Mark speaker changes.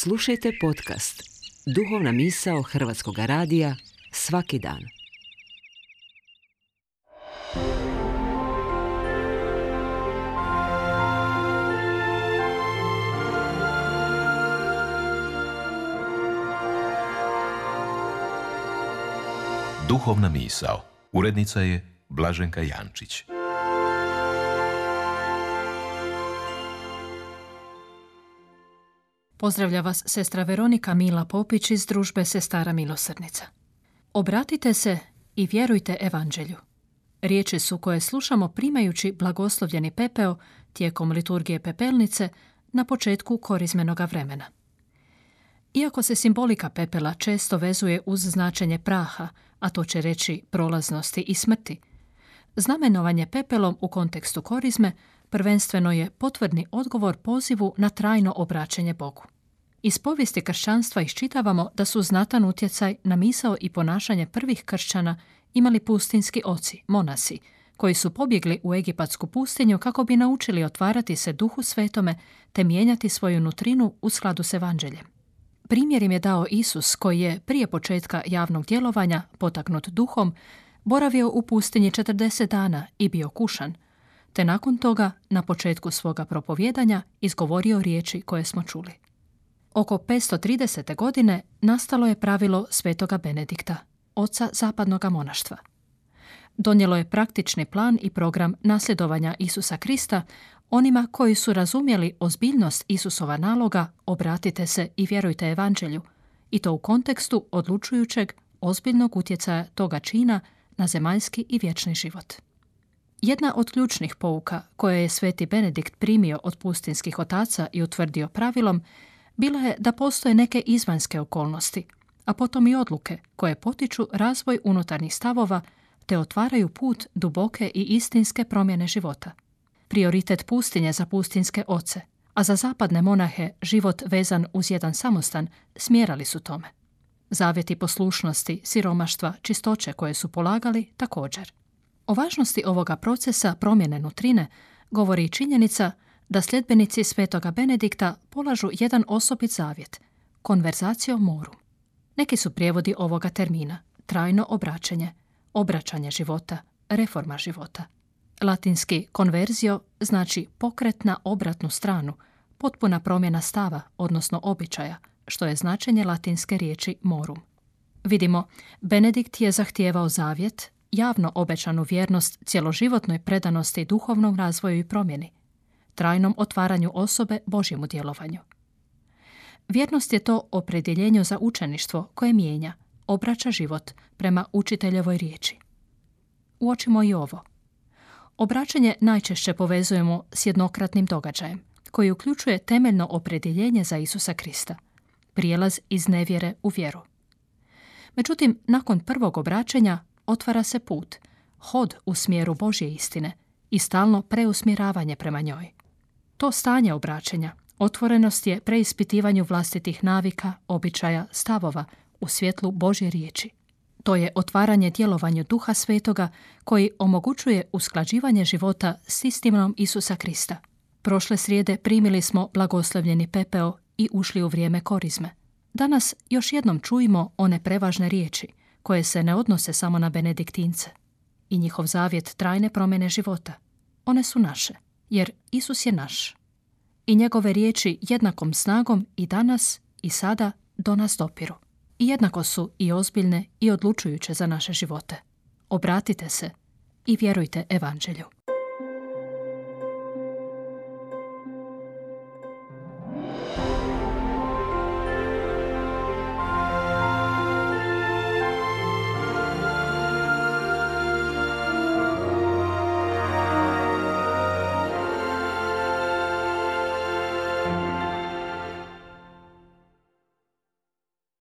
Speaker 1: Slušajte podcast Duhovna misao Hrvatskog radija svaki dan.
Speaker 2: Duhovna misao. Urednica je Blaženka Jančić.
Speaker 3: Pozdravlja vas sestra Veronika Mila Popić iz družbe Sestara milosrdnica. Obratite se i vjerujte evanđelju. Riječi su koje slušamo primajući blagoslovljeni pepeo tijekom liturgije pepelnice na početku korizmenoga vremena. Iako se simbolika pepela često vezuje uz značenje praha, a to će reći prolaznosti i smrti, znamenovanje pepelom u kontekstu korizme prvenstveno je potvrdni odgovor pozivu na trajno obraćanje Bogu. Iz povijesti kršćanstva iščitavamo da su znatan utjecaj na misao i ponašanje prvih kršćana imali pustinski oci, monasi, koji su pobjegli u egipatsku pustinju kako bi naučili otvarati se Duhu Svetome te mijenjati svoju nutrinu u skladu s evanđeljem. Primjer im je dao Isus, koji je prije početka javnog djelovanja, potaknut duhom, boravio u pustinji 40 dana i bio kušan, te nakon toga, na početku svoga propovijedanja, izgovorio riječi koje smo čuli. Oko 530. godine nastalo je pravilo svetoga Benedikta, oca zapadnog monaštva. Donijelo je praktični plan i program nasljedovanja Isusa Krista onima koji su razumjeli ozbiljnost Isusova naloga obratite se i vjerujte evanđelju, i to u kontekstu odlučujućeg, ozbiljnog utjecaja toga čina na zemaljski i vječni život. Jedna od ključnih pouka koje je sveti Benedikt primio od pustinskih otaca i utvrdio pravilom bila je da postoje neke izvanjske okolnosti, a potom i odluke koje potiču razvoj unutarnjih stavova te otvaraju put duboke i istinske promjene života. Prioritet pustinje za pustinske oce, a za zapadne monahe život vezan uz jedan samostan smjerali su tome. Zavjeti poslušnosti, siromaštva, čistoće koje su polagali također. O važnosti ovoga procesa promjene nutrine govori i činjenica da sljedbenici svetoga Benedikta polažu jedan osobit zavjet, conversatio morum. Neki su prijevodi ovoga termina, trajno obraćanje, obraćanje života, reforma života. Latinski conversio znači pokret na obratnu stranu, potpuna promjena stava, odnosno običaja, što je značenje latinske riječi morum. Vidimo, Benedikt je zahtijevao zavjet, javno obećanu vjernost cjeloživotnoj predanosti duhovnom razvoju i promjeni, trajnom otvaranju osobe Božjemu djelovanju. Vjernost je to opredjeljenje za učeništvo koje mijenja, obraća život prema učiteljevoj riječi. Uočimo i ovo. Obraćanje najčešće povezujemo s jednokratnim događajem, koji uključuje temeljno opredjeljenje za Isusa Krista, prijelaz iz nevjere u vjeru. Međutim, nakon prvog obraćanja otvara se put, hod u smjeru Božje istine i stalno preusmjeravanje prema njoj. To stanje obraćanja, otvorenost je preispitivanju vlastitih navika, običaja, stavova u svjetlu Božje riječi. To je otvaranje djelovanju Duha Svetoga koji omogućuje usklađivanje života s istinom Isusa Krista. Prošle srijede primili smo blagoslovljeni pepeo i ušli u vrijeme korizme. Danas još jednom čujemo one prevažne riječi koje se ne odnose samo na benediktince i njihov zavjet trajne promjene života. One su naše, jer Isus je naš. I njegove riječi jednakom snagom i danas i sada do nas dopiru. I jednako su i ozbiljne i odlučujuće za naše živote. Obratite se i vjerujte evanđelju.